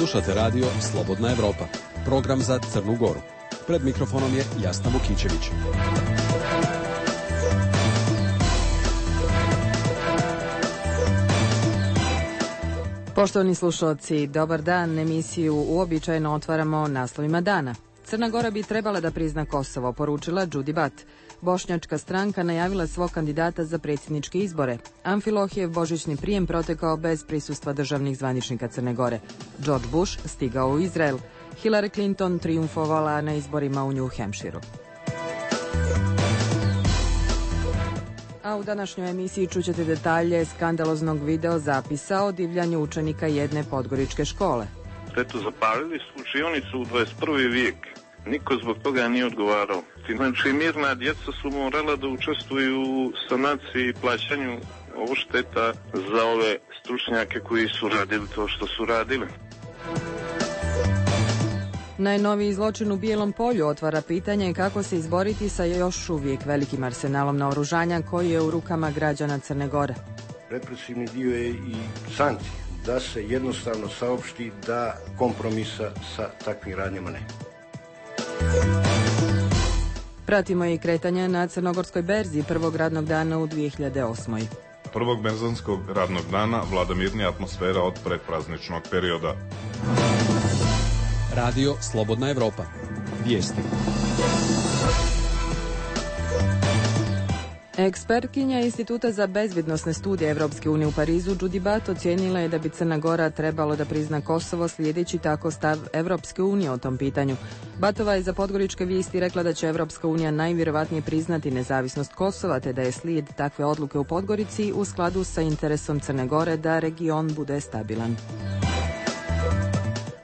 Slušate radio Slobodna Evropa, program za Crnu Goru. Pred mikrofonom je Jasna Vukićević. Poštovani slušalci, dobar dan. Emisiju uobičajeno otvaramo naslovima dana. Crna Gora bi trebala da prizna Kosovo, poručila Đudi Bat. Bošnjačka stranka najavila svog kandidata za predsjedničke izbore. Amfilohijev božićni prijem protekao bez prisustva državnih zvaničnika Crne Gore. George Bush stigao u Izrael. Hillary Clinton trijumfovala na izborima u New Hampshireu. A u današnjoj emisiji čućete detalje skandaloznog video zapisa o divljanju učenika jedne podgoričke škole. Eto, zapalili su učionicu u 21. vijek. Niko zbog toga nije odgovarao. Znači, mirna djeca su morala da učestvuju u sanaciji i plaćanju odšteta za ove stručnjake koji su radili to što su radili. Najnoviji zločin u Bijelom polju otvara pitanje kako se izboriti sa još uvijek velikim arsenalom naoružanja koji je u rukama građana Crne Gore. Represivni dio je i sankcije, da se jednostavno saopšti da kompromisa sa takvim radnjama nema. Pratimo i kretanja na crnogorskoj berzi prvog radnog dana u 2008. Prvog berzanskog radnog dana vlada mirnija atmosfera od predprazničnog perioda. Radio Slobodna Evropa. Vijesti. Ekspertkinja Instituta za bezbjednosne studije Evropske unije u Parizu, Đudi Bat, ocijenila je da bi Crna Gora trebalo da prizna Kosovo slijedeći tako stav Evropske unije o tom pitanju. Batova je za Podgoričke vijesti rekla da će Evropska unija najvjerovatnije priznati nezavisnost Kosova, te da je slijed takve odluke u Podgorici u skladu sa interesom Crne Gore da region bude stabilan.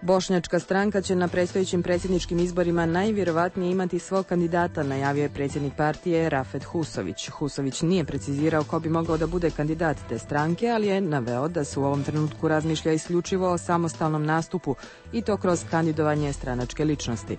Bošnjačka stranka će na predstojećim predsjedničkim izborima najvjerovatnije imati svog kandidata, najavio je predsjednik partije Rafet Husović. Husović nije precizirao ko bi mogao da bude kandidat te stranke, ali je naveo da se u ovom trenutku razmišlja isključivo o samostalnom nastupu i to kroz kandidovanje stranačke ličnosti.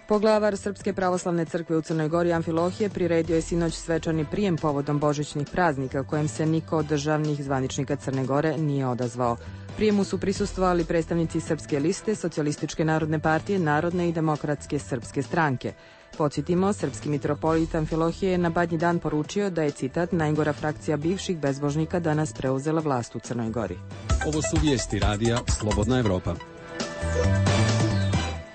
Poglavar Srpske pravoslavne crkve u Crnoj Gori Amfilohije priredio je sinoć svečani prijem povodom božićnih praznika kojem se niko od državnih zvaničnika Crne Gore nije odazvao. Prijemu su prisustvovali predstavnici Srpske liste, Socijalističke narodne partije, Narodne i demokratske srpske stranke. Podsjetimo, srpski mitropolit Amfilohije je na Badnji dan poručio da je, citat, najgora frakcija bivših bezbožnika danas preuzela vlast u Crnoj Gori. Ovo su vijesti radija Slobodna Evropa.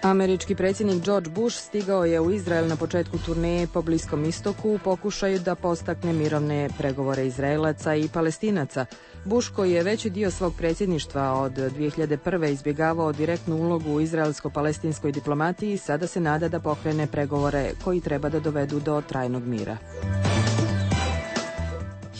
Američki predsjednik George Bush stigao je u Izrael na početku turneje po Bliskom istoku u pokušaju da postakne mirovne pregovore Izraelaca i Palestinaca. Bush, koji je veći dio svog predsjedništva od 2001. izbjegavao direktnu ulogu u izraelsko-palestinskoj diplomatiji, sada se nada da pokrene pregovore koji treba da dovedu do trajnog mira.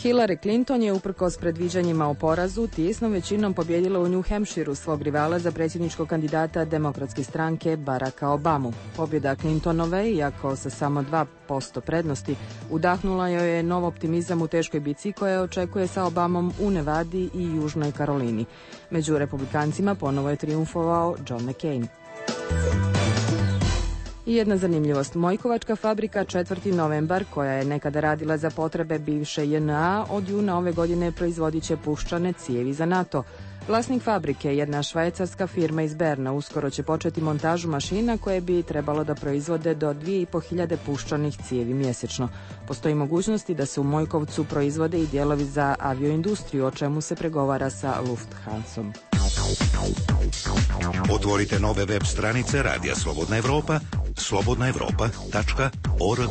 Hillary Clinton je uprkos predviđanjima o porazu tijesnom većinom pobjedila u New Hampshireu svog rivala za predsjedničkog kandidata demokratske stranke Baracka Obamu. Pobjeda Clintonove, iako sa samo 2% prednosti, udahnula joj je nov optimizam u teškoj bici koja očekuje sa Obamom u Nevadi i Južnoj Karolini. Među republikancima ponovo je trijumfovao John McCain. I jedna zanimljivost. Mojkovačka fabrika 4. novembar, koja je nekada radila za potrebe bivše JNA, od juna ove godine proizvodit će puščane cijevi za NATO. Vlasnik fabrike, jedna švajcarska firma iz Berna, uskoro će početi montažu mašina koje bi trebalo da proizvode do 2500 puščanih cijevi mjesečno. Postoji mogućnosti da se u Mojkovcu proizvode i dijelovi za avioindustriju, o čemu se pregovara sa Lufthansom. Otvorite nove web stranice Radija Slobodna Evropa, slobodnaevropa.org.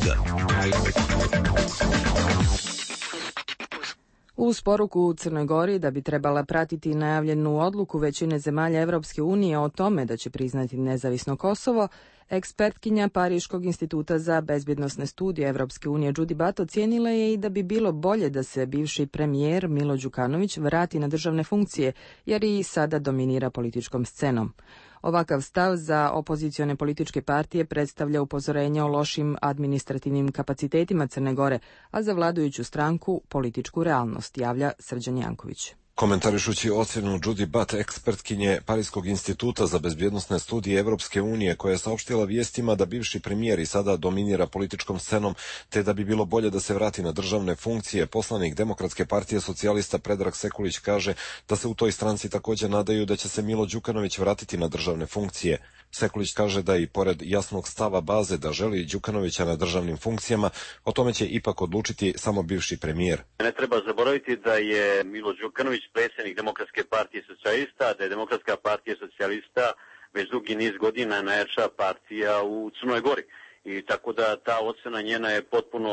Uz poruku u Crnoj Gori da bi trebala pratiti najavljenu odluku većine zemalja Evropske unije o tome da će priznati nezavisno Kosovo, ekspertkinja Pariškog instituta za bezbjednosne studije Evropske unije Đudi Bat ocijenila je i da bi bilo bolje da se bivši premijer Milo Đukanović vrati na državne funkcije, jer i sada dominira političkom scenom. Ovakav stav za opozicione političke partije predstavlja upozorenje o lošim administrativnim kapacitetima Crne Gore, a za vladajuću stranku političku realnost, javlja Srđan Janković. Komentarišući ocjenu Judy Butt, ekspertkinje Parijskog instituta za bezbjednosne studije Evropske unije, koja je saopštila vijestima da bivši premijer i sada dominira političkom scenom, te da bi bilo bolje da se vrati na državne funkcije, poslanik Demokratske partije socijalista Predrag Sekulić kaže da se u toj stranci također nadaju da će se Milo Đukanović vratiti na državne funkcije. Sekulić kaže da i pored jasnog stava baze da želi Đukanovića na državnim funkcijama, o tome će ipak odlučiti samo bivši premijer. Ne treba zaboraviti da je Milo Đukanović predsjednik Demokratske partije socijalista, da je Demokratska partija socijalista već dugi niz godina najjača partija u Crnoj Gori. I tako da ta ocjena njena je potpuno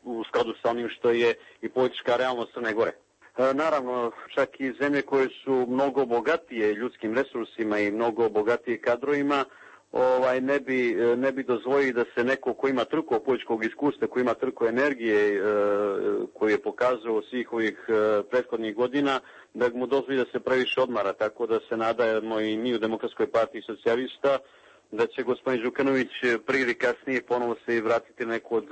u skladu sa onim što je i politička realnost Crne Gore. Naravno, čak i zemlje koje su mnogo bogatije ljudskim resursima i mnogo bogatije kadrovima, ne bi dozvolili da se neko ko ima toliko političkog iskustva, ko ima toliko energije koju je pokazao svih ovih prethodnih godina, da mu dozvoli da se previše odmara, tako da se nadamo i mi u Demokratskoj partiji socijalista da će gospodin Đukanović prije ili kasnije ponovo se vratiti neku od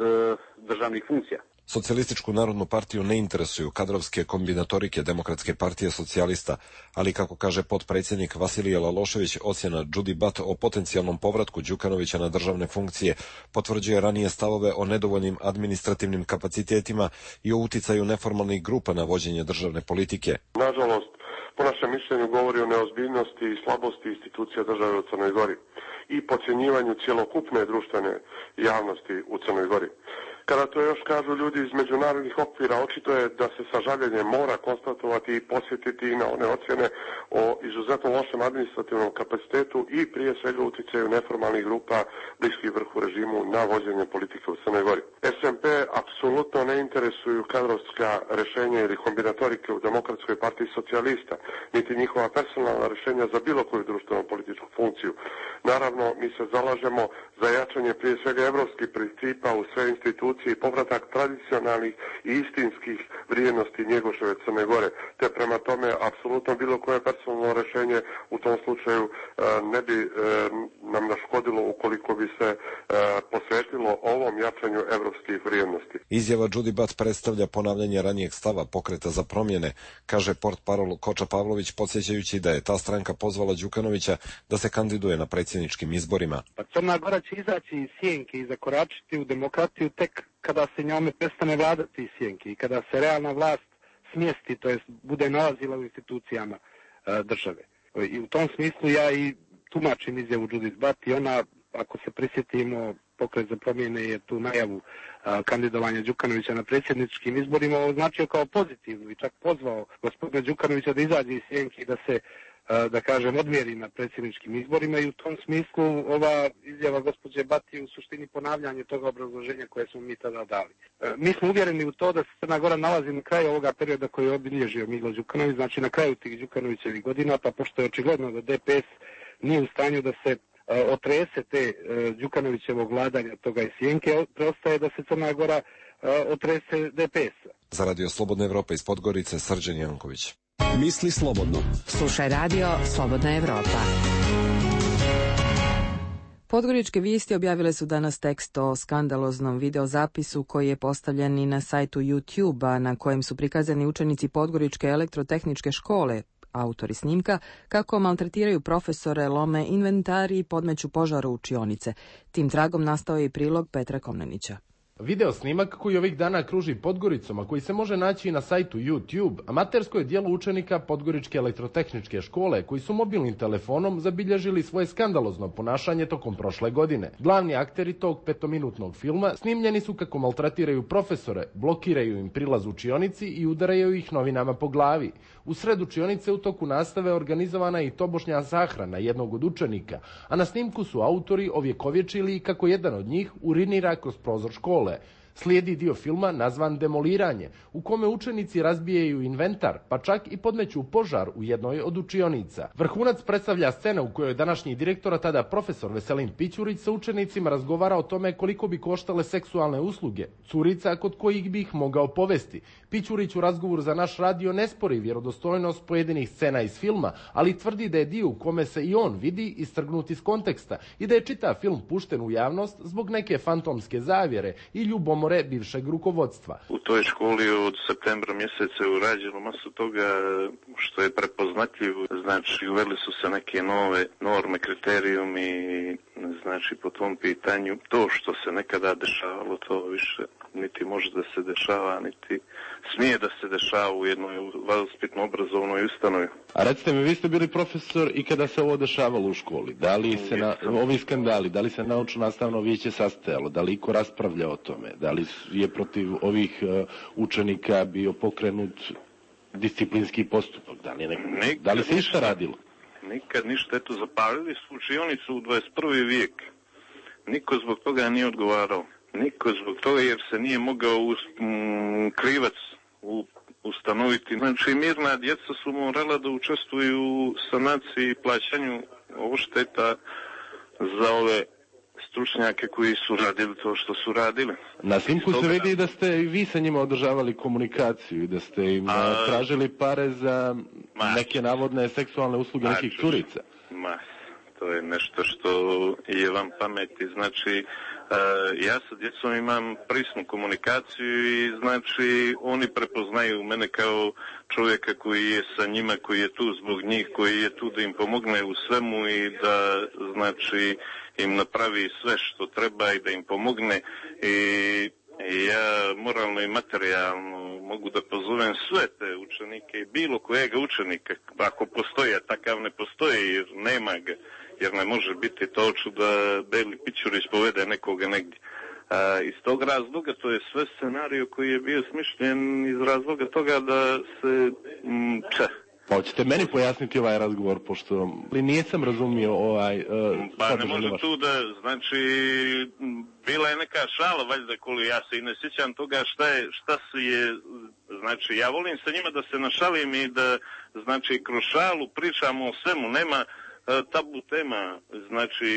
državnih funkcija. Socijalističku narodnu partiju ne interesuju kadrovske kombinatorike Demokratske partije socijalista, ali kako kaže potpredsjednik Vasilije Lalošević, ocjena Judy Butt o potencijalnom povratku Đukanovića na državne funkcije potvrđuje ranije stavove o nedovoljnim administrativnim kapacitetima i o uticaju neformalnih grupa na vođenje državne politike. Nažalost, po našem mišljenju govori o neozbiljnosti i slabosti institucija države u Crnoj Gori i podcjenjivanju cjelokupne društvene javnosti u Crnoj Gori. Kada to još kažu ljudi iz međunarodnih okvira, očito je da se sa žaljenjem mora konstatovati i posjetiti i na one ocjene o izuzetno lošem administrativnom kapacitetu i prije svega utjecaju neformalnih grupa bliskih vrhu režimu na vođenje politike u Crnoj Gori. SMP apsolutno ne interesuju kadrovska rješenja ili kombinatorike u Demokratskoj partiji socijalista, niti njihova personalna rješenja za bilo koju društvenu političku funkciju. Naravno, mi se zalažemo za jačanje prije svega evropskih principa u sve institucije i povratak tradicionalnih i istinskih vrijednosti Njegoševe Crne Gore, te prema tome apsolutno bilo koje personalno rješenje u tom slučaju ne bi nam naškodilo ukoliko bi se posvetilo ovom jačanju evropskih vrijednosti. Izjava Judy Butt predstavlja ponavljanje ranijeg stava Pokreta za promjene, kaže portparol Koča Pavlović, podsjećajući da je ta stranka pozvala Đukanovića da se kandiduje na predsjedničkim izborima. Pa Crna Gora će izaći iz sjenke i zakoračiti u demokratiju tek kada se njome prestane vladati iz sjenke i kada se realna vlast smjesti, to jest bude nalazila u institucijama države. I u tom smislu ja i tumačim izjavu Judy Butt i ona, ako se prisjetimo, Pokret za promjene je tu najavu kandidovanja Đukanovića na predsjedničkim izborima označio kao pozitivnu i čak pozvao gospodina Đukanovića da izađe iz sjenke i da se da kažem, odmjeri na predsjedničkim izborima i u tom smislu ova izjava gospođe Butt je u suštini ponavljanje toga obrazloženja koje smo mi tada dali. Mi smo uvjereni u to da se Crna Gora nalazi na kraju ovoga perioda koji je obilježio Milo Đukanović, znači na kraju tih Đukanovićevih godina, pa pošto je očigledno da DPS nije u stanju da se otrese te Đukanovićevog vladanja toga iz sjenke, preostaje da se Crna Gora otrese DPS-a. Za Radio Slobodna Evropa iz Podgorice, Srđan Janković. Misli slobodno. Slušaj radio Slobodna Evropa. Podgoričke vijesti objavile su danas tekst o skandaloznom videozapisu koji je postavljen i na sajtu YouTube, na kojem su prikazani učenici Podgoričke elektrotehničke škole, autori snimka, kako maltretiraju profesore, lome inventari i podmeću požar u učionice. Tim tragom nastao je i prilog Petra Komnenića. Video snimak koji ovih dana kruži Podgoricom, a koji se može naći i na sajtu YouTube, amatersko je djelo učenika Podgoričke elektrotehničke škole koji su mobilnim telefonom zabilježili svoje skandalozno ponašanje tokom prošle godine. Glavni akteri tog 5-minutnog filma snimljeni su kako maltretiraju profesore, blokiraju im prilaz učionici i udaraju ih novinama po glavi. U sred učionice u toku nastave organizovana je i tobožnja sahrana jednog od učenika, a na snimku su autori ovjekovječili kako jedan od njih urinira kroz prozor škole. Slijedi dio filma nazvan Demoliranje, u kome učenici razbijaju inventar, pa čak i podmeću požar u jednoj od učionica. Vrhunac predstavlja scena u kojoj današnji direktor, a tada profesor Veselin Pićurić, sa učenicima razgovara o tome koliko bi koštale seksualne usluge curica kod kojih bi ih mogao povesti. Pićurić u razgovoru za naš radio ne spori vjerodostojnost pojedinih scena iz filma, ali tvrdi da je dio u kome se i on vidi istrgnut iz konteksta i da je čitav film pušten u javnost zbog neke fantomske zavjere i ljubomore zamore bivšeg rukovodstva. U toj školi od septembra mjeseca je urađeno masu toga što je prepoznatljivo. Znači, uveli su se neke nove norme, kriterijumi, znači po tom pitanju to što se nekada dešavalo, to više niti može da se dešava, niti smije da se dešava u jednoj vaspitno-obrazovnoj ustanovi. A recite mi, vi ste bili profesor i kada se ovo dešavalo u školi, da li se ovi skandali, da li se naučno-nastavno vijeće sastajalo, da li iko raspravlja o tome, da li je protiv ovih učenika bio pokrenut disciplinski postupak, da li se išta radilo? Nikad ništa, eto, zapalili su učionicu u 21. vijek. Niko zbog toga nije odgovarao. Niko zbog toga jer se nije mogao krivac ustanoviti. Znači, mirna djeca su morala da učestvuju u sanaciji i plaćanju odšteta za ove stručnjake koji su radili to što su radili. Na snimku se vidi da ste i vi sa njima održavali komunikaciju i da ste im tražili pare za neke navodne seksualne usluge nekih curica. To je nešto što je vam pameti. Znači, ja sa djecom imam prisnu komunikaciju i znači oni prepoznaju mene kao čovjeka koji je sa njima, koji je tu zbog njih, koji je tu da im pomogne u svemu i da znači im napravi sve što treba i da im pomogne i ja moralno i materijalno mogu da pozovem sve te učenike i bilo kojega učenika, ako postoji, a takav ne postoji jer nema ga, jer ne može biti to ću da Beli Pićurić povede nekoga negdje. Iz tog razloga, to je sve scenario koji je bio smišljen iz razloga toga da se... Pa hoćete meni pojasniti ovaj razgovor, pošto nisam razumio Pa ne može tu da, znači, bila je neka šala, valjda, koliko ja se i ne sjećam toga šta se je, znači, ja volim sa njima da se našalim i da, znači, kroz šalu pričamo o svemu, nema tabu tema, znači,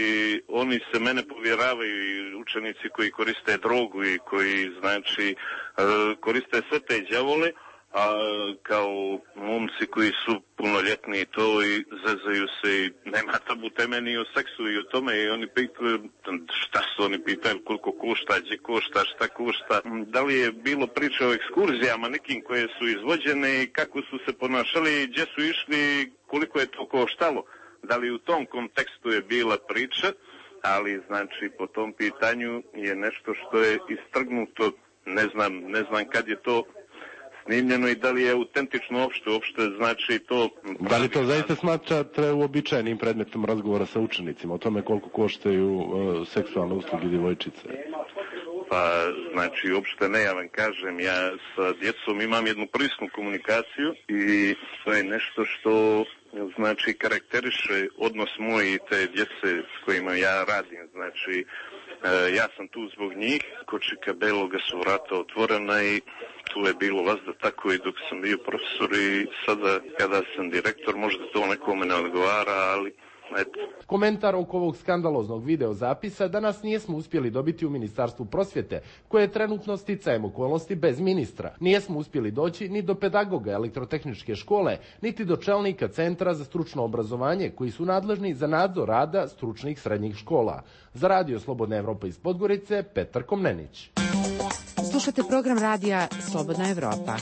oni se mene povjeravaju i učenici koji koriste drogu i koji, znači, koriste sve te đavole, a kao momci koji su punoljetni to i zezaju se i nema tabu teme ni o seksu i o tome i oni pitaju šta su oni pitaju, koliko košta, gdje košta, šta košta, da li je bilo priče o ekskurzijama nekim koje su izvođene i kako su se ponašali, gdje su išli, koliko je to koštalo, da li u tom kontekstu je bila priča, ali znači po tom pitanju je nešto što je istrgnuto, ne znam kad je to snimljeno i da li je autentično uopšte, znači to... Da li to zaista smatrate uobičajenim predmetom razgovora sa učenicima, o tome koliko koštaju seksualne usluge djevojčice? Pa, znači, uopšte ne, ja vam kažem, ja sa djecom imam jednu prisnu komunikaciju i to je nešto što, znači, karakteriše odnos moj i te djece s kojima ja radim, znači, ja sam tu zbog njih, kočika beloga su vrata otvorena i tu je bilo vazda tako i dok sam bio profesor i sada kada sam direktor možda to nekome ne odgovara, ali eto. Komentar oko ovog skandaloznog videozapisa danas nijesmo uspjeli dobiti u Ministarstvu prosvjete, koje je trenutno sticajem okolnosti bez ministra. Nijesmo uspjeli doći ni do pedagoga elektrotehničke škole, niti do čelnika Centra za stručno obrazovanje, koji su nadležni za nadzor rada stručnih srednjih škola. Za Radio Slobodna Evropa iz Podgorice, Petar Komnenić. Slušate program radija Slobodna Evropa.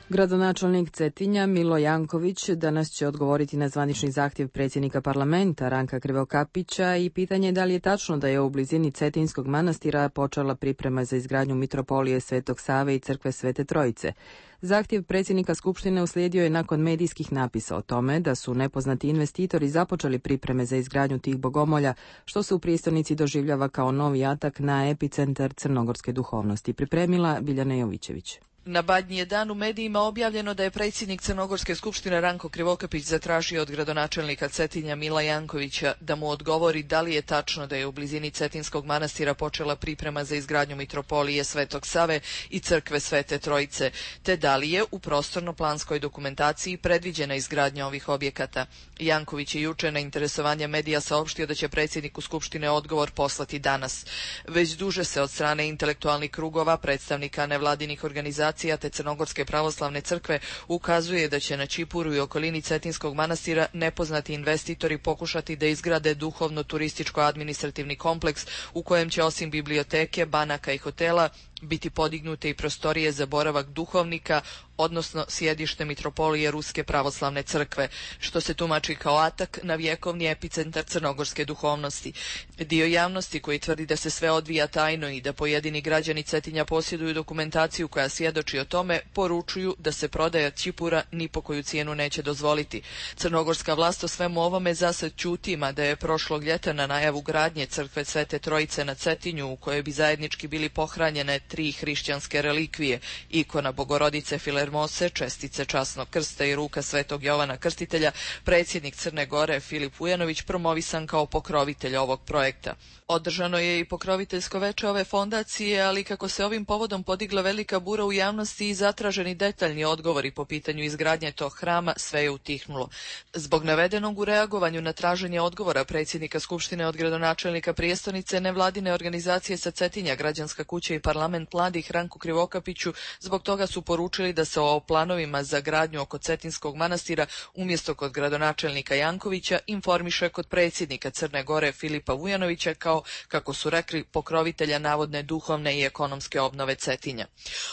Gradonačelnik Cetinja Milo Janković danas će odgovoriti na zvanični zahtjev predsjednika parlamenta Ranka Krivokapića i pitanje da li je tačno da je u blizini Cetinskog manastira počela priprema za izgradnju mitropolije Svetog Save i crkve Svete Trojice. Zahtjev predsjednika Skupštine uslijedio je nakon medijskih napisa o tome da su nepoznati investitori započeli pripreme za izgradnju tih bogomolja, što se u prijestolnici doživljava kao novi atak na epicentar crnogorske duhovnosti. Pripremila Biljana Jovićević. Na Badnji je dan u medijima objavljeno da je predsjednik Crnogorske skupštine Ranko Krivokapić zatražio od gradonačelnika Cetinja Mila Jankovića da mu odgovori da li je tačno da je u blizini Cetinskog manastira počela priprema za izgradnju mitropolije Svetog Save i crkve Svete Trojice, te da li je u prostorno-planskoj dokumentaciji predviđena izgradnja ovih objekata. Janković je juče na interesovanje medija saopštio da će predsjedniku Skupštine odgovor poslati danas. Već duže se od strane intelektualnih krugova, predstavnika nevladinih organizacija organizacija te Crnogorske pravoslavne crkve ukazuje da će na Ćipuru i okolini Cetinskog manastira nepoznati investitori pokušati da izgrade duhovno-turističko-administrativni kompleks u kojem će osim biblioteke, banaka i hotela biti podignute i prostorije za boravak duhovnika, odnosno sjedište mitropolije Ruske pravoslavne crkve, što se tumači kao atak na vjekovni epicentar crnogorske duhovnosti. Dio javnosti koji tvrdi da se sve odvija tajno i da pojedini građani Cetinja posjeduju dokumentaciju koja svjedoči o tome, poručuju da se prodaja Ćipura ni po koju cijenu neće dozvoliti. Crnogorska vlast o svemu ovome zasad ćuti, mada je prošlog ljeta na najavu gradnje crkve Svete Trojice na Cetinju, u kojoj bi zajednički bili pohranjene 3 hrišćanske relikvije, ikona Bogorodice Filermose, čestice časnog krsta i ruka Svetog Jovana Krstitelja, predsjednik Crne Gore Filip Vujanović promovisan kao pokrovitelj ovog projekta. Održano je i pokroviteljsko veče ove fondacije, ali kako se ovim povodom podigla velika bura u javnosti i zatraženi detaljni odgovori po pitanju izgradnje tog hrama, sve je utihnulo. Zbog navedenog u reagovanju na traženje odgovora predsjednika Skupštine od gradonačelnika prijestolnice, nevladine organizacije sa Cetinja, Građanska kuća i Parlament mladih Ranku Krivokapiću, zbog toga su poručili da se o planovima za gradnju oko Cetinskog manastira umjesto kod gradonačelnika Jankovića informiše kod predsjednika Crne Gore Filipa Vujanovića kao, kako su rekli, pokrovitelja navodne duhovne i ekonomske obnove Cetinja.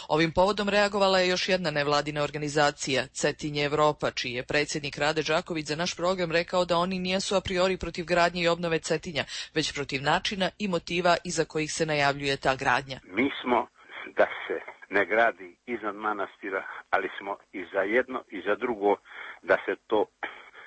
Ovim povodom reagovala je još jedna nevladina organizacija, Cetinje Evropa, čiji je predsjednik Rade Đaković za naš program rekao da oni nijesu a priori protiv gradnje i obnove Cetinja, već protiv načina i motiva iza kojih se najavljuje ta gradnja. Mi smo da se ne gradi iznad manastira, ali smo i za jedno i za drugo da se to,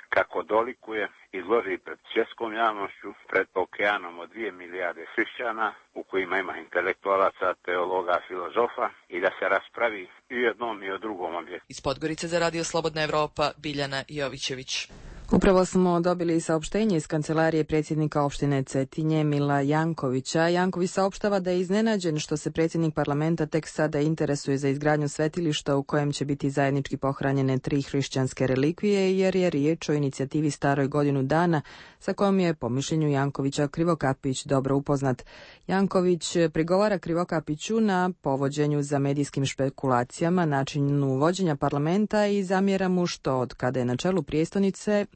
kako dolikuje, izloži pred svjetskom javnošću, pred okeanom od 2 milijarde hrišćana, u kojima ima intelektualaca, teologa, filozofa, i da se raspravi i o jednom i o drugom objektu. Iz Podgorice za Radio Slobodna Evropa, Biljana Jovićević. Upravo smo dobili saopštenje iz kancelarije predsjednika opštine Cetinje Mila Jankovića. Janković saopštava da je iznenađen što se predsjednik parlamenta tek sada interesuje za izgradnju svetilišta u kojem će biti zajednički pohranjene 3 hrišćanske relikvije, jer je riječ o inicijativi staroj godinu dana sa kojom je, po mišljenju Jankovića, Krivokapić dobro upoznat. Janković prigovara Krivokapiću na povođenju za medijskim špekulacijama, načinu vođenja parlamenta i zamjera mu što od kada je na čelu prijestolnice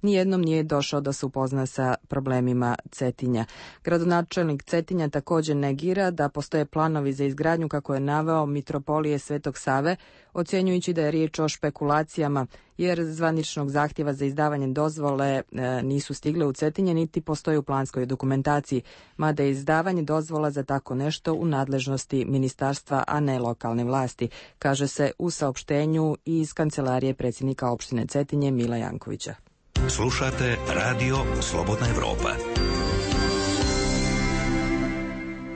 nijednom nije došao da se upozna sa problemima Cetinja. Gradonačelnik Cetinja također negira da postoje planovi za izgradnju, kako je naveo, mitropolije Svetog Save, ocjenjujući da je riječ o špekulacijama, jer zvaničnog zahtjeva za izdavanje dozvole nisu stigle u Cetinje, niti postoji u planskoj dokumentaciji, mada je izdavanje dozvola za tako nešto u nadležnosti ministarstva, a ne lokalne vlasti, kaže se u saopštenju iz kancelarije predsjednika opštine Cetinje Mila Jankovića. Slušate Radio Slobodna Evropa.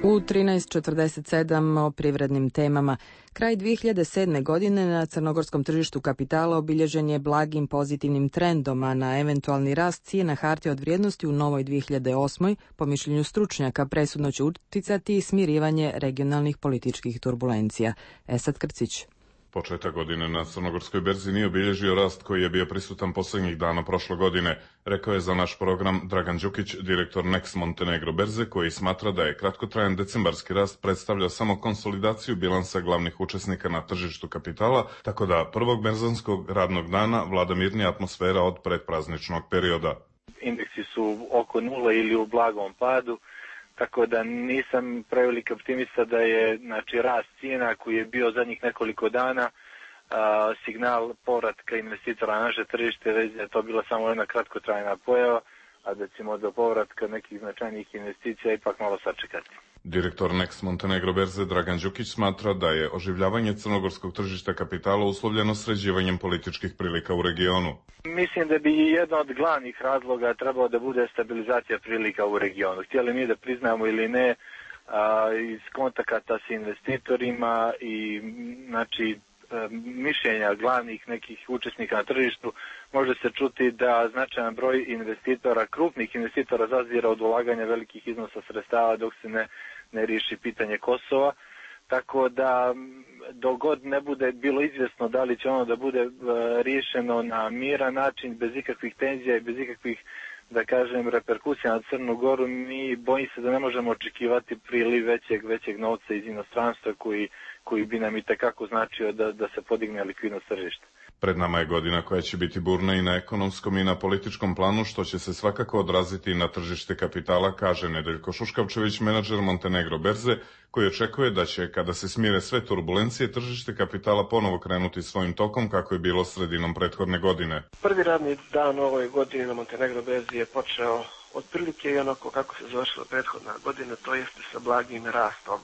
U 13:47 o privrednim temama. Kraj 2007. godine na crnogorskom tržištu kapitala obilježen je blagim pozitivnim trendom, a na eventualni rast cijena hartija od vrijednosti u novoj 2008. po mišljenju stručnjaka presudno će utjecati i smirivanje regionalnih političkih turbulencija. Esad Krcić. Početak godine na crnogorskoj berzi nije obilježio rast koji je bio prisutan posljednjih dana prošle godine, rekao je za naš program Dragan Đukić, direktor Next Montenegro berze, koji smatra da je kratkotrajan decembarski rast predstavlja samo konsolidaciju bilansa glavnih učesnika na tržištu kapitala, tako da prvog berzanskog radnog dana vlada mirnija atmosfera od predprazničnog perioda. Indeksi su oko nula ili u blagom padu, tako da nisam preveliki optimista da je rast cijena koji je bio zadnjih nekoliko dana signal povratka investitora na naše tržište, već je to bila samo jedna kratkotrajna pojava, a da ćemo do povratka nekih značajnih investicija ipak malo sačekati. Direktor Next Montenegro berze Dragan Đukić smatra da je oživljavanje crnogorskog tržišta kapitala uslovljeno sređivanjem političkih prilika u regionu. Mislim da bi jedan od glavnih razloga trebao da bude stabilizacija prilika u regionu. Htjeli mi da priznamo ili ne, iz kontakata s investitorima i mišljenja glavnih nekih učesnika na tržištu može se čuti da značajan broj investitora, krupnih investitora, zazira od ulaganja velikih iznosa sredstava dok se ne riješi pitanje Kosova. Tako da dogod ne bude bilo izvjesno da li će ono da bude riješeno na miran način, bez ikakvih tenzija i bez ikakvih da kažem, reperkusija na Crnu Goru, mi bojim se da ne možemo očekivati priliv većeg novca iz inostranstva koji bi nam i tekako značio da se podigne likvidnost tržišta. Pred nama je godina koja će biti burna i na ekonomskom i na političkom planu, što će se svakako odraziti i na tržište kapitala, kaže Nedeljko Šuškavčević, menadžer Montenegro berze, koji očekuje da će, kada se smire sve turbulencije, tržište kapitala ponovo krenuti svojim tokom kako je bilo sredinom prethodne godine. Prvi radni dan ove godine na Montenegro berzi je počeo otprilike i onako kako se završila prethodna godina, to jeste sa blagim rastom.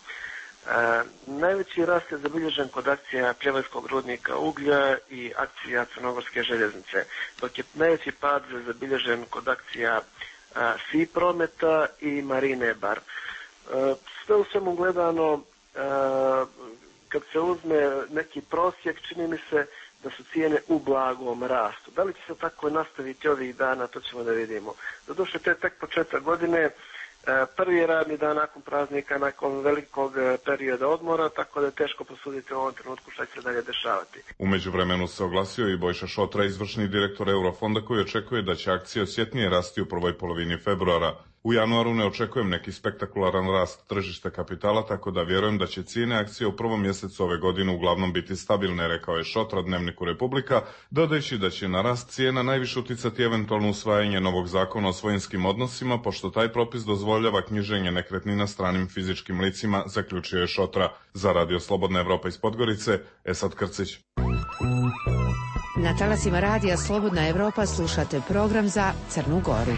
Najveći rast je zabilježen kod akcija Pljevajskog rudnika uglja i akcija Crnogorske željeznice, dok je najveći pad zabilježen kod akcija SI prometa i Marine Bar. Sve u svemu gledano, kad se uzme neki prosjek, čini mi se da su cijene u blagom rastu. Da li će se tako nastaviti ovih dana, to ćemo da vidimo. Doduše, to je tek početak godine, prvi radni dan nakon praznika, nakon velikog perioda odmora, tako da je teško posuditi u ovom trenutku šta će se dalje dešavati. U međuvremenu se oglasio i Bojša Šotra, izvršni direktor Eurofonda, koji očekuje da će akcije osjetnije rasti u prvoj polovini februara. U januaru ne očekujem neki spektakularan rast tržišta kapitala, tako da vjerujem da će cijene akcije u prvom mjesecu ove godine uglavnom biti stabilne, rekao je Šotra Dnevniku Republika, dodajući da će na rast cijena najviše uticati eventualno usvajanje novog zakona o svojinskim odnosima, pošto taj propis dozvoljava knjiženje nekretnina stranim fizičkim licima, zaključio je Šotra. Za Radio Slobodna Evropa iz Podgorice, Esad Krcić. Na talasima Radija Slobodna Evropa slušate program za Crnu Goru.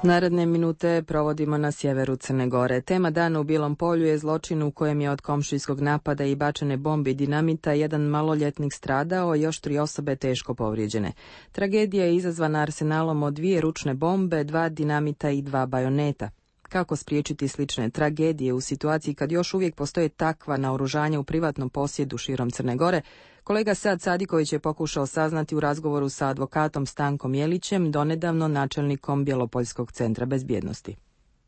Naredne minute provodimo na sjeveru Crne Gore. Tema dana u Bilom polju je zločin u kojem je od komšijskog napada i bačene bombe i dinamita jedan maloljetnik stradao, još 3 osobe teško povrijeđene. Tragedija je izazvana arsenalom od 2 ručne bombe, 2 dinamita i 2 bajoneta. Kako spriječiti slične tragedije u situaciji kad još uvijek postoje takva naoružanja u privatnom posjedu širom Crne Gore? Kolega Sad Sadiković je pokušao saznati u razgovoru sa advokatom Stankom Jelićem, donedavno načelnikom Bjelopoljskog centra bezbjednosti.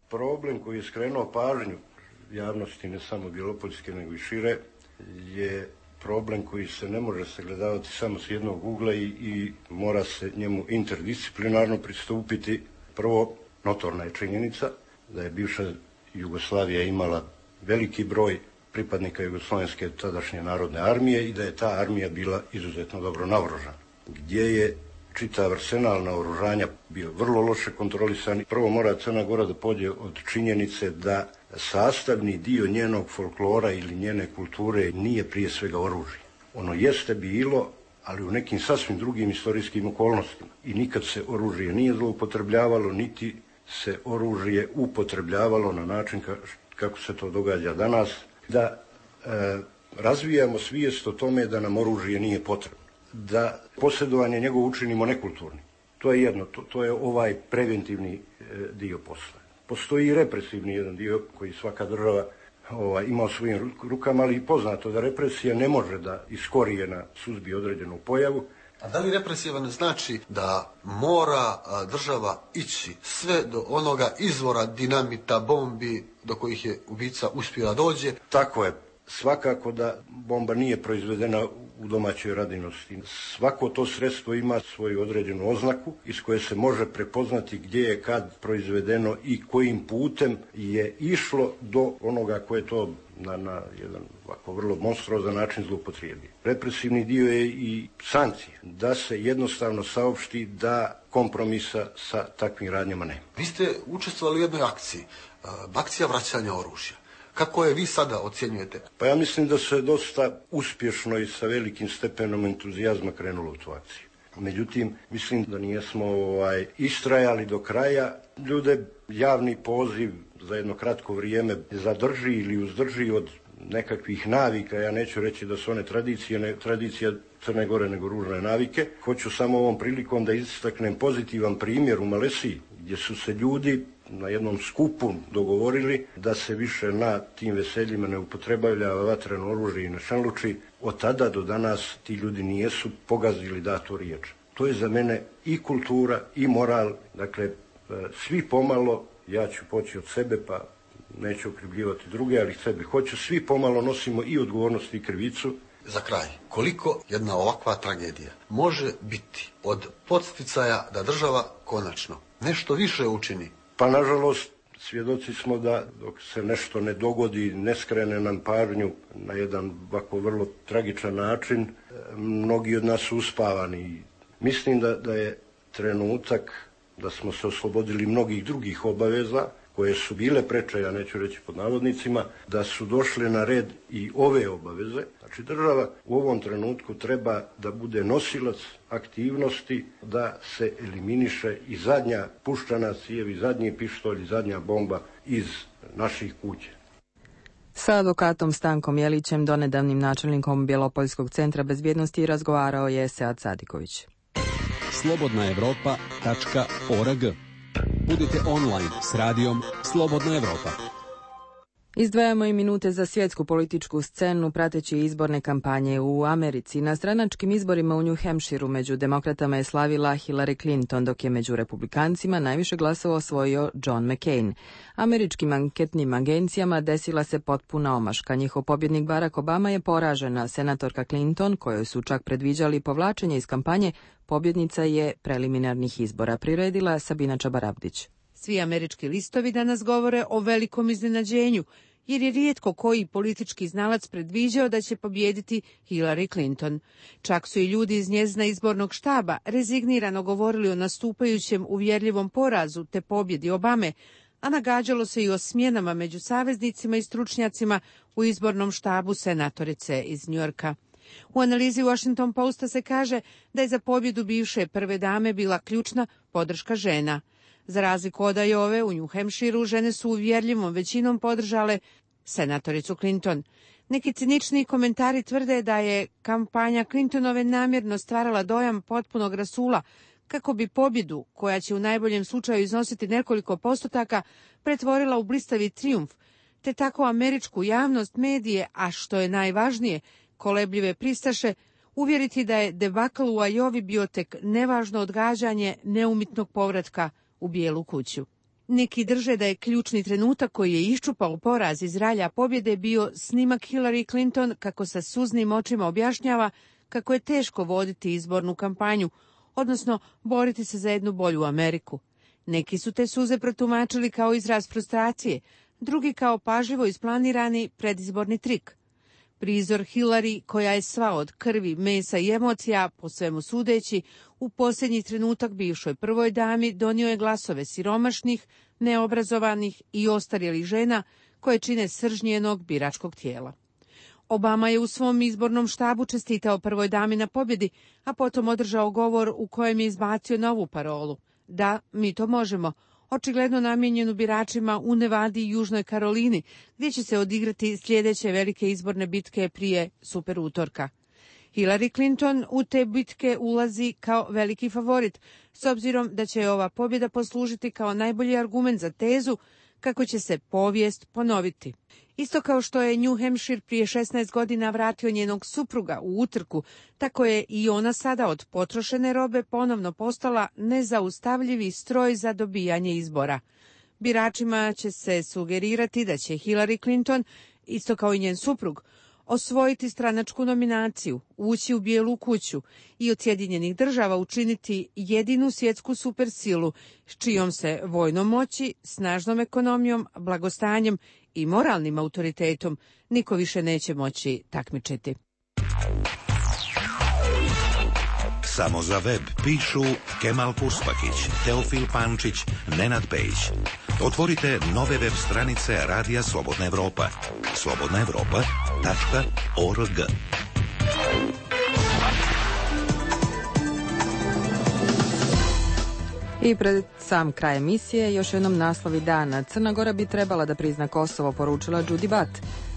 Problem koji je skrenuo pažnju javnosti, ne samo Bjelopoljske nego i šire, je problem koji se ne može sagledavati samo s jednog ugla i mora se njemu interdisciplinarno pristupiti. Prvo, notorna je činjenica da je bivša Jugoslavija imala veliki broj pripadnika Jugoslovenske tadašnje narodne armije i da je ta armija bila izuzetno dobro naoružana, gdje je čitav arsenal naoružanja bio vrlo loše kontrolisan. Prvo mora Crna Gora da pođe od činjenice da sastavni dio njenog folklora ili njene kulture nije prije svega oružje. Ono jeste bilo, ali u nekim sasvim drugim istorijskim okolnostima. I nikad se oružje nije zloupotrebljavalo, niti se oružje upotrebljavalo na način kako se to događa danas, da razvijamo svijest o tome da nam oružje nije potrebno, da posjedovanje njegovo učinimo nekulturnim. To je jedno, to je ovaj preventivni dio posla. Postoji i represivni jedan dio koji svaka država ima u svojim rukama, ali i poznato da represija ne može da iz korijena suzbije određenu pojavu. A da li represiva ne znači da mora država ići sve do onoga izvora dinamita, bombi do kojih je ubica uspio da dođe? Tako je. Svakako da bomba nije proizvedena u domaćoj radinosti. Svako to sredstvo ima svoju određenu oznaku iz koje se može prepoznati gdje je kad proizvedeno i kojim putem je išlo do onoga koje to na jedan ovako vrlo monstruozan način zloupotrijebio. Represivni dio je i sankcije, da se jednostavno saopšti da kompromisa sa takvim radnjama nema. Vi ste učestvovali u jednoj akciji, akcija vraćanja oružja. Kako je vi sada ocjenjujete? Pa ja mislim da se dosta uspješno i sa velikim stepenom entuzijazma krenulo u tu akciju. Međutim, mislim da nijesmo istrajali do kraja. Ljude javni poziv za jedno kratko vrijeme zadrži ili uzdrži od nekakvih navika. Ja neću reći da su one tradicija Crne Gore, nego ružne navike. Hoću samo ovom prilikom da istaknem pozitivan primjer u Malesiji, gdje su se ljudi na jednom skupu dogovorili da se više na tim veseljima ne upotrebljava vatreno oružje i ne šanluči. Od tada do danas ti ljudi nijesu pogazili datu riječ. To je za mene i kultura i moral. Dakle, svi pomalo, ja ću poći od sebe pa neću okrivljivati druge, ali sebe hoću, svi pomalo nosimo i odgovornost i krivicu za kraj, koliko jedna ovakva tragedija može biti od podsticaja da država konačno nešto više učini? Pa nažalost, svjedoci smo da dok se nešto ne dogodi, ne skrene nam pažnju na jedan ovako vrlo tragičan način, mnogi od nas su uspavani. Mislim da je trenutak da smo se oslobodili mnogih drugih obaveza koje su bile preče, ja neću reći pod navodnicima, da su došle na red i ove obaveze. Znači država u ovom trenutku treba da bude nosilac aktivnosti, da se eliminiše i zadnja puščana cijev, i zadnji pištolj, i zadnja bomba iz naših kuća. Sa advokatom Stankom Jelićem, donedavnim načelnikom Bjelopoljskog centra bezbjednosti, razgovarao je Sead Sadiković. slobodnaevropa.org. Budite online s radijom Slobodna Evropa. Izdvajamo i minute za svjetsku političku scenu prateći izborne kampanje u Americi. Na stranačkim izborima u New Hampshireu među demokratama je slavila Hillary Clinton, dok je među republikancima najviše glasova osvojio John McCain. Američkim anketnim agencijama desila se potpuna omaška. Njihov pobjednik Barack Obama je poražena. Senatorka Clinton, kojoj su čak predviđali povlačenje iz kampanje, pobjednica je preliminarnih izbora, priredila Sabina Čabarabdić. Svi američki listovi danas govore o velikom iznenađenju, jer je rijetko koji politički znalac predviđao da će pobijediti Hillary Clinton. Čak su i ljudi iz njezina izbornog štaba rezignirano govorili o nastupajućem uvjerljivom porazu te pobjedi Obame, a nagađalo se i o smjenama među saveznicima i stručnjacima u izbornom štabu senatorice iz Njujorka. U analizi Washington Posta se kaže da je za pobjedu bivše prve dame bila ključna podrška žena. Za razliku od Iowe, u New Hampshireu žene su uvjerljivom većinom podržale senatoricu Clinton. Neki cinični komentari tvrde da je kampanja Clintonove namjerno stvarala dojam potpunog rasula, kako bi pobjedu, koja će u najboljem slučaju iznositi nekoliko postotaka, pretvorila u blistavi trijumf, te tako američku javnost, medije, a što je najvažnije, kolebljive pristaše, uvjeriti da je debakl u Iowi bio tek nevažno odgađanje neumitnog povratka u Bijelu kuću. Neki drže da je ključni trenutak koji je iščupao poraz iz ralja pobjede bio snimak Hillary Clinton kako sa suznim očima objašnjava kako je teško voditi izbornu kampanju, odnosno boriti se za jednu bolju Ameriku. Neki su te suze protumačili kao izraz frustracije, drugi kao pažljivo isplanirani predizborni trik. Prizor Hillary, koja je sva od krvi, mesa i emocija, po svemu sudeći, u posljednji trenutak bivšoj prvoj dami donio je glasove siromašnih, neobrazovanih i ostarjelih žena koje čine srž njenog biračkog tijela. Obama je u svom izbornom štabu čestitao prvoj dami na pobjedi, a potom održao govor u kojem je izbacio novu parolu. Da, mi to možemo. Očigledno namijenjenu biračima u Nevadi i Južnoj Karolini, gdje će se odigrati sljedeće velike izborne bitke prije super utorka. Hillary Clinton u te bitke ulazi kao veliki favorit, s obzirom da će ova pobjeda poslužiti kao najbolji argument za tezu kako će se povijest ponoviti. Isto kao što je New Hampshire prije 16 godina vratio njenog supruga u utrku, tako je i ona sada od potrošene robe ponovno postala nezaustavljivi stroj za dobijanje izbora. Biračima će se sugerirati da će Hillary Clinton, isto kao i njen suprug, osvojiti stranačku nominaciju, ući u Bijelu kuću i od Sjedinjenih Država učiniti jedinu svjetsku supersilu s čijom se vojnom moći, snažnom ekonomijom, blagostanjem i moralnim autoritetom niko više neće moći takmičiti. Samo za web pišu Kemal Purspakić, Teofil Pančić, Nenad Pejić. Otvorite nove web stranice Radija Slobodna Evropa. slobodnaevropa.org. I pred sam kraj emisije još jednom naslovi dana. Crna Gora bi trebala da prizna Kosovo, poručila Đudi Bat.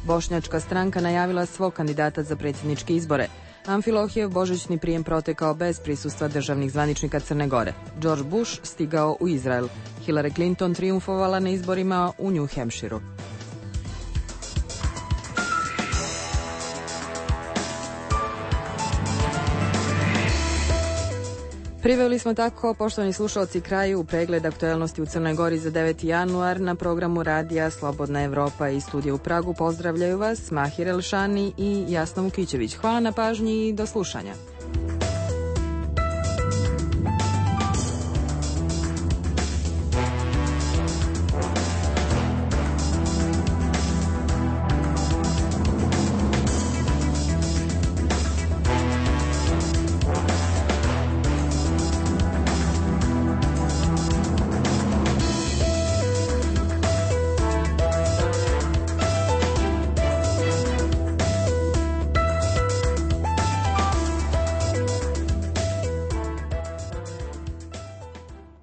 Bošnjačka stranka najavila svog kandidata za predsjedničke izbore. Amfilohijev božićni prijem protekao bez prisustva državnih zvaničnika Crne Gore. George Bush stigao u Izrael. Hillary Clinton triumfovala na izborima u New Hampshireu. Priveli smo tako, poštovani slušalci, kraju pregled aktuelnosti u Crnoj Gori za 9. januar. Na programu radija Slobodna Evropa i studija u Pragu pozdravljaju vas Mahir Elšani i Jasna Vukićević. Hvala na pažnji i do slušanja.